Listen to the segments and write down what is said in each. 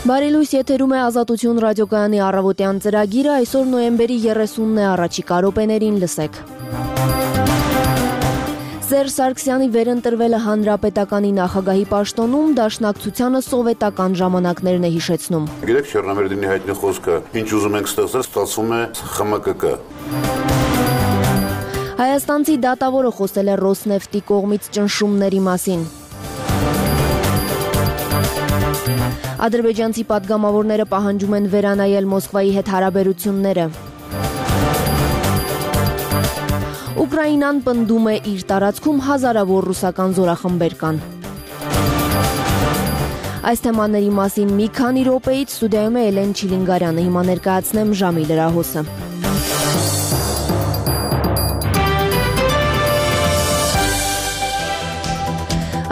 Բարի լույս, եթերում է Ազատություն ռադիոկայանի առավոտյան ծրագիրը, այսօր նոյեմբերի 30-ն է, առաջիկա րոպեներին լսեք։ Սերժ Սարգսյանի վերընտրվելը հանրապետականի նախագահի պաշտոնում դաշնակցությանը սովետական ժամանակներն է հիշեցնում։ Գիտեք, Չեռնամերդինի հայտնի խոսքը, ինչ ուզում ենք ստեղծել, ստացվում է ԽՄԿԿ։ Հայաստանցի դատավորը խոսել է Ռոսնեֆտի կողմից ճնշումների մասին։ Ադրբեջանցի պատգամավորները պահանջում են վերանայել Մոսկվայի հետ հարաբերությունները։ Ուկրաինան պնդում է իր տարածքում հազարավոր ռուսական զորախմբեր կան։ Այս թեմաների մասին մի քանի րոպեից ստուդիայում է Էլեն Չիլինգարյանը, հիմա ներկայացնեմ ժամի լրահոսը։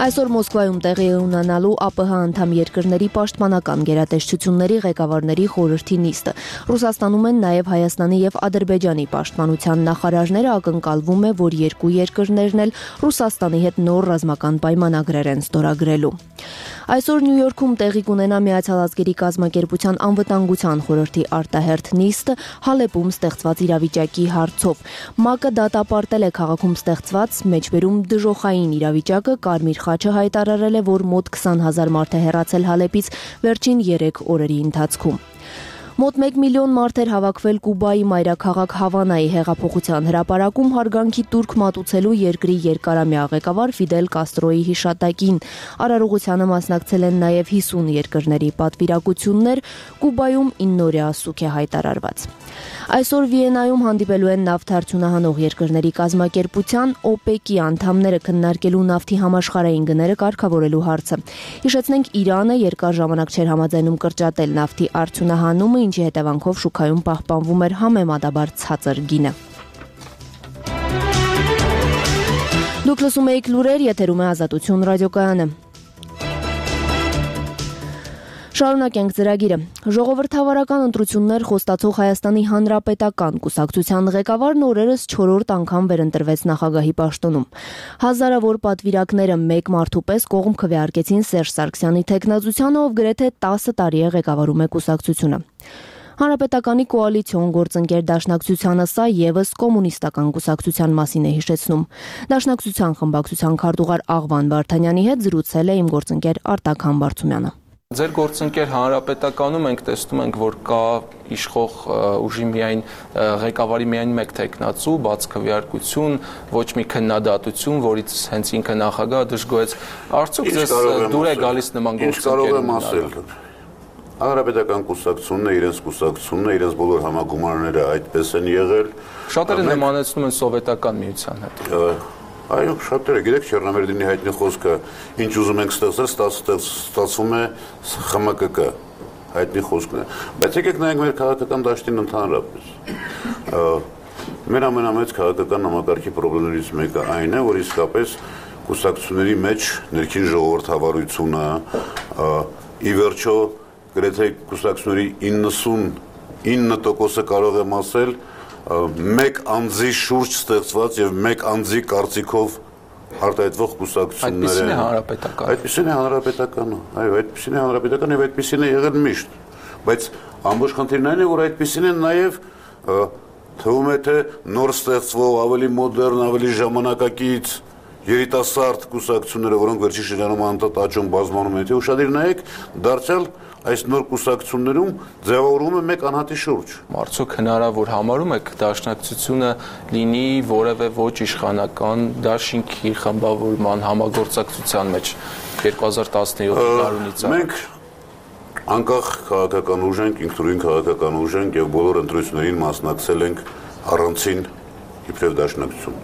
Այսօր Մոսկվայում տեղի է ունենալու ԱՊՀ անդամ երկրների պաշտպանական գերատեսչությունների ղեկավարների խորհրդի նիստը։ Ռուսաստանում են նաև Հայաստանի եւ Ադրբեջանի պաշտպանության նախարարները, ակնկալվում է, որ երկու երկրներն էլ Ռուսաստանի հետ նոր ռազմական պայմանագրեր են ստորագրելու։ Այսօր Նյու Յորքում տեղի կունենա Միացյալ Ազգերի կազմակերպության անվտանգության խորհրդի արտահերթ նիստը Հալեպում ստեղծված իրավիճակի հարցով։ ՄԱԿ-ը դատապարտել է քաղաքում ստեղծված մեջբերում դժոխային իրավիճակը, Կարմիր խաչը հայտարարել է, որ մոտ 20,000 մարդ է հեռացել Հալեպից վերջին 3 օրերի ընթացքում։ Մոտ 1 միլիոն մարդ էր հավաքվել Կուբայի մայրաքաղաք Հավանայի հեղափոխության հրապարակում հարգանքի տուրք մատուցելու երկրի երկարամյա ղեկավար Ֆիդել Կաստրոյի հիշատակին։ Արարողությանը մասնակցել են նաև 50 երկրների պատվիրակություններ, Կուբայում 9-օրյա ասուք է հայտարարված։ Այսօր Վիեննայում հանդիպելու են նավթ արդյունահանող երկրների կազմակերպության ՕՊԵԿ-ի անդամները քննարկելու նավթի համաշխարհային գները կարգավորելու հարցը։ Հիշեցնենք, Իրանը երկար ժամանակ չէր համաձայնում կրճատել նավթի արդյունահանումը, ինչի հետևանքով շուկայում պահպանվում էր համեմատաբար ցածր գինը։ Դուք լսում եք լուրեր, եթերում է Ազատություն ռադիոկայանը։ Շարունակենք ծրագիրը։ Ժողովրդավարական ընտրություններ խոստացող Հայաստանի Հանրապետական կուսակցության ղեկավարն օրերս 4-րդ անգամ վերընտրվեց նախագահի պաշտոնում։ Հազարավոր պատվիրակները մեկ մարդու պես կողմ քվեարկեցին Սերժ Սարգսյանի թեկնածությանը, ով գրեթե 10 տարի է ղեկավարում է կուսակցությունը։ Հանրապետականի կոալիցիոն գործընկեր Դաշնակցությանը սա եւս կոմունիստական կուսակցության մասին է հիշեցնում։ Դաշնակցության խմբակցության քարտուղար Աղվան Վարդանյանի հետ զրուցել է իմ գործընկեր Արտակ Համբարձումյանը։ Ձեր գործընկեր Հանրապետականում ենք տեսնում ենք, որ կա իշխող ուժի միայն ղեկավարի միայն մեկ թեկնածու, բաց քվեարկություն, ոչ մի քննադատություն, որից հենց ինքը նախագահը դժգոհեց։ Արդյոք ձեզ դուր է գալիս նման գործընկեր։ Հանրապետական կուսակցությունն է, իրենց կուսակցությունն է, իրենց բոլոր համագումարները այդպես են եղել։ Շատերը նմանեցնում են սովետական միության հետ։ Այո, շատերը, գիտեք, Չեռնամերդինի հայտնի խոսքը, ինչ ուզում ենք ստեղծել, ստացվում է ԽՄԿԿ, հայտնի խոսքն է։ Բայց եկեք նայենք մեր քաղաքական դաշտին ընդհանրապես։ Մեր ամենամեծ քաղաքական համակարգի խնդիրներից մեկը այն է, որ իսկապես կուսակցությունների մեջ ներքին ժողովրդավարությունը, ի վերջո գրեթե կուսակցությունների 99%-ը կարող եմ ասել, մեկ անձի շուրջ ստեղծված եւ մեկ անձի կարծիքով արտահայտվող կուսակցություններ են։ Այդպիսին է հանրապետականը։ Այո, այդպիսին է հանրապետականը եւ այդպիսին է եղել միշտ։ Բայց ամբողջ խնդիրն այն է, որ այդպիսին են նաեւ թվում է թե նոր ստեղծվող, ավելի մոդեռն, ավելի ժամանակակից երիտասարդ կուսակցությունները, որոնք վերջին շրջանում անդադ աճում բազմանում են, թե ուշադիր նայեք, դարձյալ այս նոր կուսակցություններում ձևավորվում է մեկ անհատի շուրջ։ Արդյոք հնարավոր համարում եք դաշնակցությունը լինի որևէ ոչ իշխանական դաշինքի խմբավորման համագործակցության մեջ 2017 տարունից առաջ։ Մենք անկախ քաղաքական ուժ ենք, ինքնուրույն քաղաքական ուժ ենք եւ բոլոր ընտրություններին մասնակցել ենք առանցին իբրև դաշնակցություն։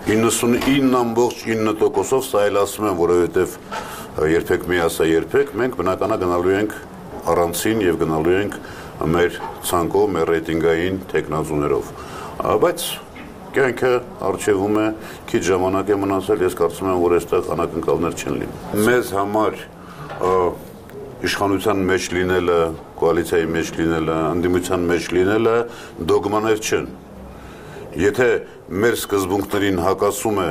99.9%-ով սա էլ ասում եմ, որովհետև երբեք մի ասա երբեք, մենք բնականա գնալու ենք առանցին եւ գնալու ենք մեր ցանկով, մեր ռեյտինգային տեխնազուներով։ Բայց կյանքը արժևում է, քիչ ժամանակ է մնացել, ես կարծում եմ, որ այստեղ անակնկալներ չեն լինի։ Մեզ համար իշխանության մեջ լինելը, կոալիցիայի մեջ լինելը, ընդդիմության մեջ լինելը դոգմաներ չեն։ Եթե մեր սկզբունքներին հակասում է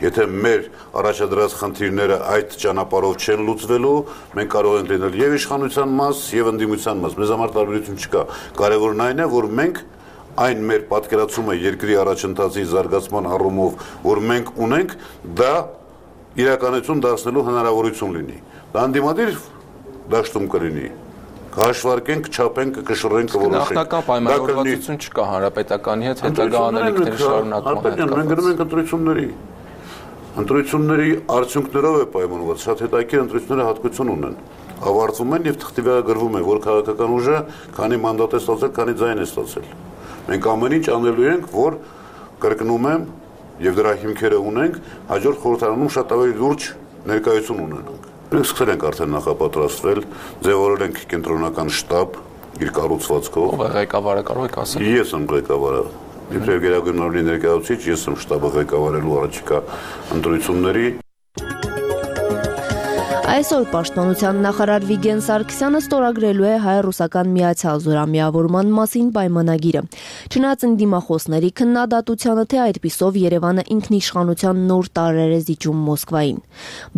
եթե մեր առաջադրած խնդիրները այդ ճանապարհով չեն լուծվելու, մենք կարող ենք լինել եւ իշխանության մաս, եւ ընդդիմության մաս։ Մեզ համար տարբերություն չկա։ Կարևորն այն է, որ մենք այն մեր պատկերացումը երկրի առաջընթացի զարգացման առումով, որ մենք ունենք, դա իրականություն դարձնելու հնարավորություն լինի։ Դա անդիմադիր դաշտում կլինի։ Կհաշվարկենք, կչափենք, կշռենք, կորոշենք։ Նախնական պայմանավորվածություն չկա հանրապետականի հետ հետագա անելիքների շարունակման հետ։ Մենք գնում ենք ընտրությունների։ Ընտրությունների արդյունքներով է պայմանավորված, շատ հետաքրքիր ընտրությունները հատկություն ունեն։ Ավարտվում են եւ թղթի վրա գրվում է, որ քաղաքական ուժը քանի մանդատ է ստացել, քանի ձայն է ստացել։ Մենք ամեն ինչ անելու ենք, որ կրկնում եմ եւ դրա հիմքերը ունենք, հաջորդ խորհրդարանում շատ ավելի լուրջ ներկայություն ունենանք։ Մենք սկսել ենք արդեն նախապատրաստվել, ձևավորել ենք կենտրոնական շտաբ իր կառուցվածքով։ Ով է ղեկավարը, կարող եք ասել։ Ես եմ ղեկավարը։ Իբրև գերագույն մարմնի ներկայացուցիչ, ես եմ շտաբը ղեկավարելու առաջիկա ընտրությունների։ Այսօր Պաշտպանության նախարար Վիգեն Սարգսյանը ստորագրելու է հայ-ռուսական միացյալ զորամիավորման մասին պայմանագիրը։ Չնայած ընդդիմախոսների քննադատությանը, թե այդպիսով Երևանը ինքնիշխանության նոր տարրեր է զիջում Մոսկվային։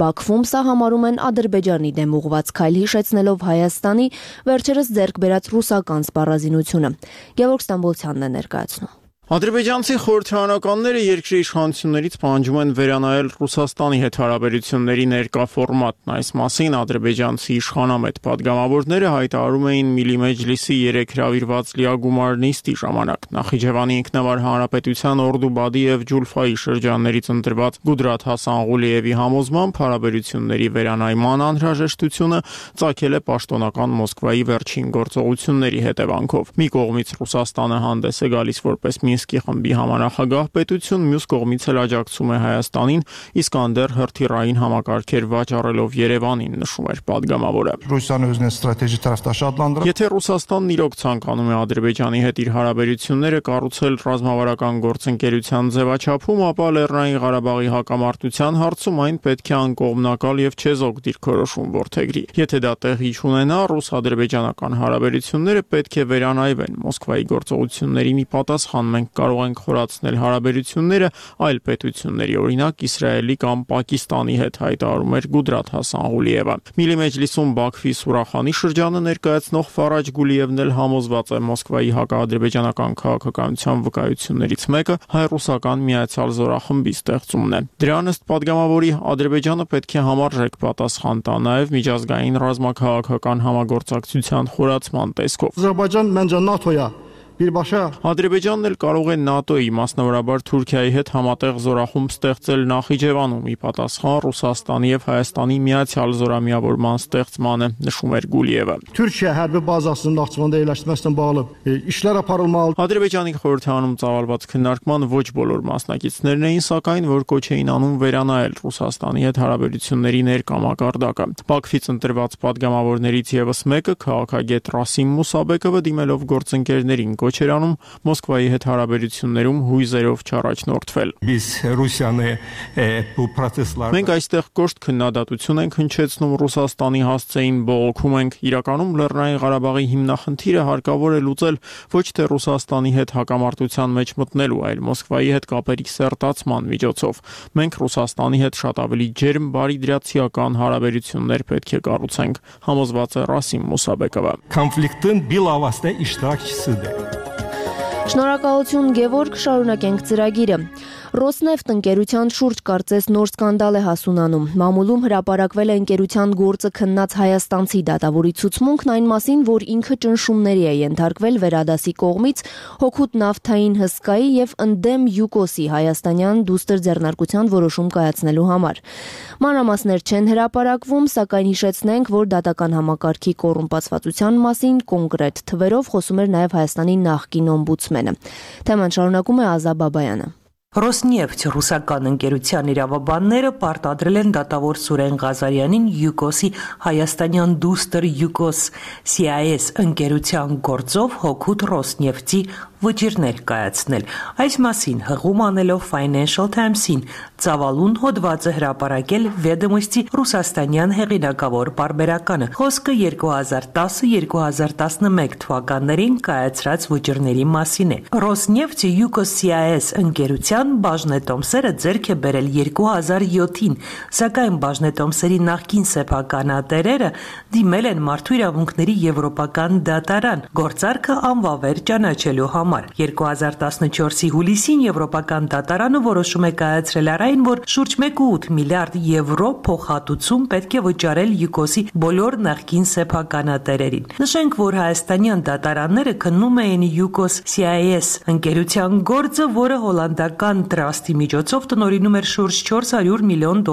Բաքվում սա համարում են Ադրբեջանի դեմ ուղղված քայլ, հիշեցնելով Հայաստանի վերջերս ձեռք բերած ռուսական սպառազինությունը։ Գևորգ Ստամբոլցյանն է ներկայացնում։ Ադրբեջանցի խորհրդարանականները երկրի իշխանություններից պահանջում են վերանայել Ռուսաստանի հետ հարաբերությունների ներկա ֆորմատն։ Այս մասին ադրբեջանցի իշխանամետ падգամավորները հայտարարում էին Միլի Մեջլիսի 3 հրավիրված լիագումար նիստի ժամանակ։ Նախիջևանի ինքնավար հանրապետության Օրդուբադի եւ Ջուլֆայի շրջաններից ընտրված Գուդրաթ Հասանղուլիևի համոզմամբ հարաբերությունների վերանայման անհրաժեշտությունը ծագել է պաշտոնական Մոսկվայի վերջին գործողությունների հետևանքով։ Մի կողմից Ռուսաստանը հանդես է գալիս որպես Մինսկի խմբի համանախագահ պետություն, մյուս կողմից էլ աջակցում է Հայաստանին, իսկ անդեր հրթիռային համակարգեր վաճառելով Երևանին, նշում էր падգամավորը։ Եթե Ռուսաստանն իրոք ցանկանում է Ադրբեջանի հետ իր հարաբերությունները կառուցել ռազմավարական գործընկերության ձևաչափում, ապա Լեռնային Ղարաբաղի հակամարտության հարցում այն պետք է անկողմնակալ եւ չեզոք դիրքորոշում որդեգրի։ Եթե դա տեղի չունենա, ռուս-ադրբեջանական հարաբերությունները պետք է վերանայվեն։ Մոսկվայի գործողություններին ի պատասխան մենք կարող ենք խորացնել հարաբերությունները այլ պետությունների, օրինակ Իսրայելի կամ Պակիստանի հետ, հայտարարում էր Գուդրաթ Հասանղուլիևը։ Միլի Մեջլիսում Բաքվի Սուրախանի շրջանը ներկայացնող Ֆարաջ Գուլիևն էլ համոզված է Մոսկվայի հակաադրբեջանական քաղաքականության վկայություններից մեկը հայ-ռուսական միացյալ զորախմբի ստեղծումն է։ Դրան ըստ падգամավորի Ադրբեջանը պետք է համարժեք պատասխան տա նաև միջազգային ռազմաքաղաքական համագործակցության խորացման տեսքով։ Ադրբեջան մենջա ՆԱՏՕ-յա Ադրբեջանն էլ կարող է ՆԱՏՕ-ի, մասնավորաբար Թուրքիայի հետ համատեղ զորախումբ ստեղծել Նախիջևանում, ի պատասխան Ռուսաստանի եւ Հայաստանի միացյալ զորամիավորման ստեղծմանը, նշում էր Գուլիևը։ Թուրքիա հərbi բազասının Naxçıvanda yerləşdirməsindən bağlı işlər aparılmalı։ Ադրբեջանի խորհրդարանում ծավալված քննարկման ոչ բոլոր մասնակիցներն էին, սակայն որ կոչ էին անում վերանայել Ռուսաստանի հետ հարաբերությունների ներկա մակարդակը։ Բաքվից ընտրված падգամավորներից եւս մեկը, քաղաքագետ Ռասիմ Մուսաբեկովը, դիմելով գործընկերներին կոչ էր անում Մոսկվայի հետ հարաբերություններում հույզերով չառաջնորդվել։ Մենք այստեղ կոշտ քննադատություն ենք հնչեցնում Ռուսաստանի հասցեին, բողոքում ենք։ Իրականում Լեռնային Ղարաբաղի հիմնախնդիրը հարկավոր է լուծել ոչ թե Ռուսաստանի հետ հակամարտության մեջ մտնելու, այլ Մոսկվայի հետ կապերի սերտացման միջոցով։ Մենք Ռուսաստանի հետ շատ ավելի ջերմ, բարիդրացիական հարաբերություններ պետք է կառուցենք, համոզված է Ռասիմ Մուսաբեկովը։ Konfliktin bilavasitə iştirakçısıdır։ Շնորհակալություն Գևորգ, շարունակենք ծրագիրը։ Ռոսնեֆտ ընկերության շուրջ կարծես նոր սկանդալ է հասունանում։ Մամուլում հրապարակվել է ընկերության գործը քննած հայաստանցի դատավորի ցուցմունքն այն մասին, որ ինքը ճնշումների է ենթարկվել Վերադասի կողմից հօգուտ նավթային հսկայի եւ ընդդեմ Յուկոսի հայաստանյան դուստր ձեռնարկության որոշում կայացնելու համար։ Մանրամասներ չեն հրապարակվում, սակայն հիշեցնենք, որ դատական համակարգի կոռումպացվածության մասին կոնկրետ թվերով խոսում էր նաեւ Հայաստանի նախկին օմբուդսմենը։ Թեման շարունակում է Ազա Բաբայանը։ Ռոսնեֆթ ռուսական ընկերության իրավաբանները պարտադրել են դատավոր Սուրեն Ղազարյանին Յուկոսի հայաստանյան դուստր Յուկոս CIS ընկերության գործով հօգուտ Ռոսնեֆթի վճիրներ կայացնել։ Այս մասին հղում անելով Financial Times-ին ծավալուն հոդվածը հրապարակել Ведомости ռուսաստանյան հեղինակավոր պարբերականը։ Խոսքը 2010-2011 թվականներին կայացրած վճիրների մասին է։ Rosneft UKCIS ընկերության բաժնետոմսերը ձեռք է բերել 2007-ին, սակայն բաժնետոմսերի նախկին սեփականատերերը դիմել են Մարդու իրավունքների եվրոպական դատարան գործարքը անվավեր ճանաչելու համար։ 2014-ի հուլիսին Եվրոպական դատարանը որոշում է կայացրել այն, որ շուրջ 1.8 միլիարդ եվրո փոխհատուցում պետք է վճարել ՅՈՒԿՕՍ-ի բոլոր նախկին սեփականատերերին։ Նշենք, որ հայաստանյան դատարանները քննում էին UKCIS ընկերության գործը, որը հոլանդական տրաստի միջոցով տնօրինում էր շուրջ $400 միլիոն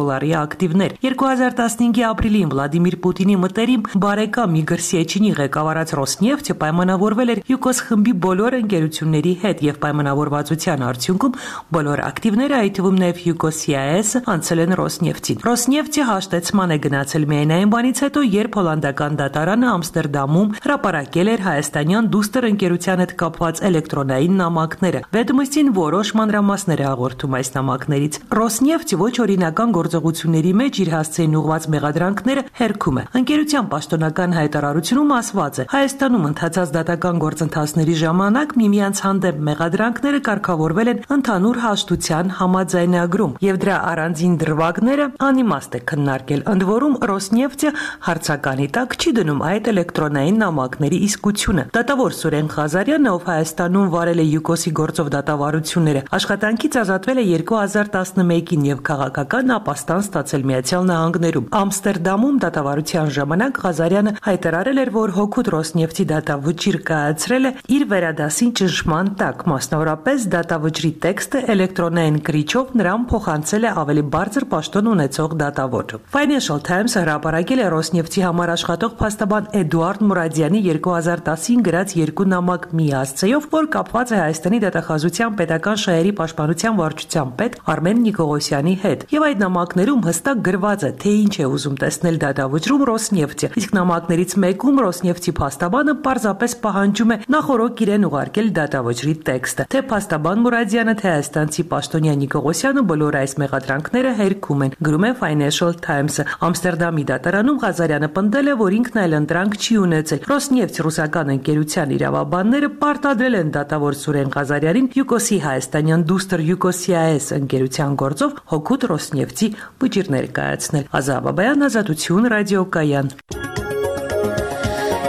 ակտիվներ։ 2015-ի ապրիլին Վլադիմիր Պուտինի մտերիմ բարեկամ Իգոր Սեչինի ղեկավարած Rosneft-ը պայմանավորվել էր ՅՈՒԿՕՍ խմբի բոլոր ընկերությունների հետ եւ պայմանավորվածության արդյունքում բոլոր ակտիվները, այդ թվում նաեւ UKCIS-ը, անցել են Rosneft-ին։ Rosneft-ի հաշտեցման է գնացել միայն այն բանից հետո, երբ հոլանդական դատարանը Ամստերդամում հրապարակել էր հայաստանյան դուստր ընկերության հետ կապված էլեկտրոնային նամակները։ Ведомостին որոշ մանրամասներ է հաղորդում այս նամակներից։ Rosneft-ը ոչ օրինական գործողությունների մեջ իր հասցեին ուղղված մեղադրանքները հերքում է։ Ընկերության պաշտոնական հայտարարությունում ասված է. Հայաստանում ընթացած դատական գործընթացների ժամանակ միմյանց հանդեպ մեղադրանքները կարգավորվել են ընդհանուր հաշտության համաձայնագրում, եւ դրա առանձին դրվագները անիմաստ է քննարկել։ Ընդ որում Rosneft-ը հարցականի տակ չի դնում այդ էլեկտրոնային նամակների իսկությունը։ Դատավոր Սուրեն Ղազարյանը, ով Հայաստանում վարել է ՅՈՒԿՕՍ-ի գործով դատավարությունները, աշխատանքից ազատվել է 2011-ին եւ քաղաքական ապաստան ստացել Միացյալ Նահանգներում։ Ամստերդամում դատավարության ժամանակ Ղազարյանը հայտարարել էր, որ հօգուտ Rosneft-ի դատավճիռ կայացրել է իր վերադասին ճնշման տակ, մասնավորապես դատավճռի տեքստը էլեկտրոնային կրիչով նրան փոխանցել է ավելի բարձր պաշտոն ունեցող դատավորը։ Financial Times-ը հրապարակել է Rosneft-ի համար աշխատող փաստաբան Էդուարդ Մուրադյանի 2010-ին գրած երկու նամակ մի հասցեով, որ կապված է Հայաստանի դատախազության պետական շահերի պաշտպանության վարչության պետ Արմեն Նիկողոսյանի հետ։ Եվ այդ նամակներում հստակ գրված է, թե ինչ է ուզում տեսնել դատավճռում Rosneft-ը։ Իսկ նամակներից մեկում Rosneft-ի փաստաբանը պարզապես պահանջում է նախորոք իրեն ուղարկել դատավճռի տեքստը։ Թե փաստաբան Մուրադյանը, թե հայաստանցի պաշտոնյա Նիկողոսյանը բոլոր այս մեղադրանքները հերքում են, գրում է Financial Times-ը։ Ամստերդամի դատարանում Ղազարյանը պնդել է, որ ինքն այլ ընտրանք չի ունեցել։ Rosneft ռուսական ընկերության իրավաբանները պարտադրել են դատավոր Սուրեն Ղազարյանին ՅՈՒԿՕՍ-ի հայաստանյան դուստր UKCIS ընկերության գործով հօգուտ Rosneft-ի վճիրներ կայացնել։ Ազա Բաբայան, Ազատություն, ռադիոկայան։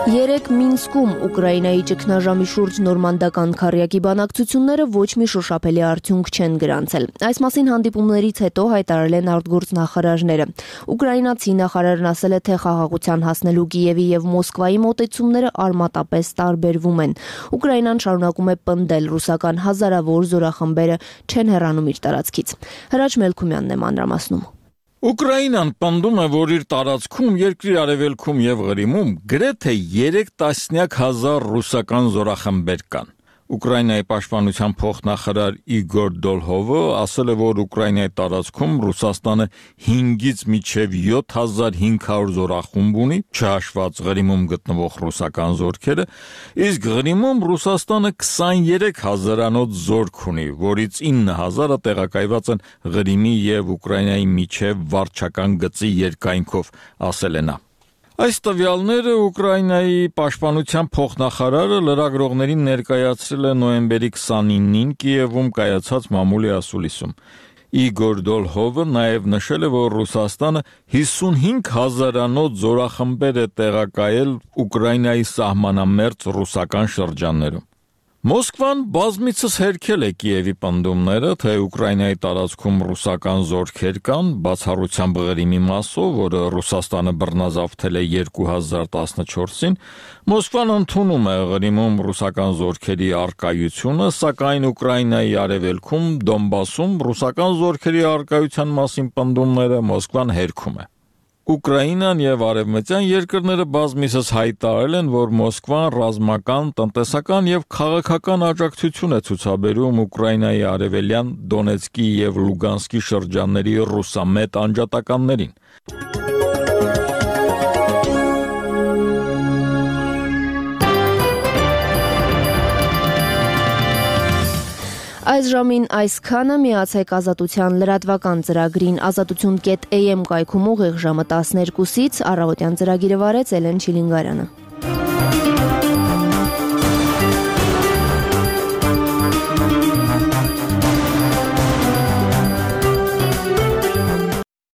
Երեկ Մինսկում Ուկրաինայի ճգնաժամի շուրջ նորմանդական քառյակի բանակցությունները ոչ մի շոշափելի արդյունք չեն գրանցել։ Այս մասին հանդիպումներից հետո հայտարարել են արտգործնախարարները։ Ուկրաինացի նախարարն ասել է, թե խաղաղության հասնելու Կիևի եւ Մոսկվայի մոտեցումները արմատապես տարբերվում են։ Ուկրաինան շարունակում է պնդել, ռուսական հազարավոր զորախմբերը չեն հեռանում իր տարածքից։ Հրաչ Մելքումյանն է մանրամասնում։ Ուկրաինան պնդում է, որ իր տարածքում, երկրի արևելքում եւ Ղրիմում գրեթե 3,000 ռուսական զորախմբեր կան։ Ուկրաինայի պաշտպանության փոխնախարար Իգոր Դոլհովը ասել է, որ Ուկրաինայի տարածքում Ռուսաստանը 5-ից մինչև 7500 զորախումբ ունի, չհաշված Ղրիմում գտնվող ռուսական զորքերը, իսկ Ղրիմում Ռուսաստանը 23000-անոց զորք ունի, որից 9000-ը տեղակայված են Ղրիմի եւ Ուկրաինայի միջև վարչական գծի երկայնքով, ասել է նա։ Այս տվյալները Ուկրաինայի պաշտպանության փոխնախարարը լրագրողներին ներկայացրել է նոյեմբերի 29-ին Կիևում կայացած մամուլի ասուլիսում։ Իգոր Դոլհովը նաև նշել է, որ Ռուսաստանը 55000-անոց զորախմբեր է տեղակայել Ուկրաինայի սահմանամերձ ռուսական շրջաններում։ Մոսկվան բազմիցս հերքել է Կիևի պնդումները, թե Ուկրաինայի տարածքում ռուսական զորքեր կան, բացառությամբ Ղրիմի մասով, որը Ռուսաստանը բռնազավթել է 2014-ին, Մոսկվան ընդունում է Ղրիմում ռուսական զորքերի առկայությունը, սակայն Ուկրաինայի արևելքում, Դոնբասում ռուսական զորքերի առկայության մասին պնդումները Մոսկվան հերքում է։ Ուկրաինան եւ արևմտյան երկրները բազմիցս հայտարարել են, որ Մոսկվան ռազմական, տնտեսական եւ քաղաքական աջակցություն է ցուցաբերում Ուկրաինայի արևելյան Դոնեցկի եւ Լուգանսկի շրջանների ռուսամետ անջատականներին։ Այս ժամին այսքանը, միացեք Ազատության լրատվական ծրագրին azatutun.am կայքում ուղիղ ժամը 12-ից, առավոտյան ծրագիրը վարեց Էլեն Չիլինգարյանը։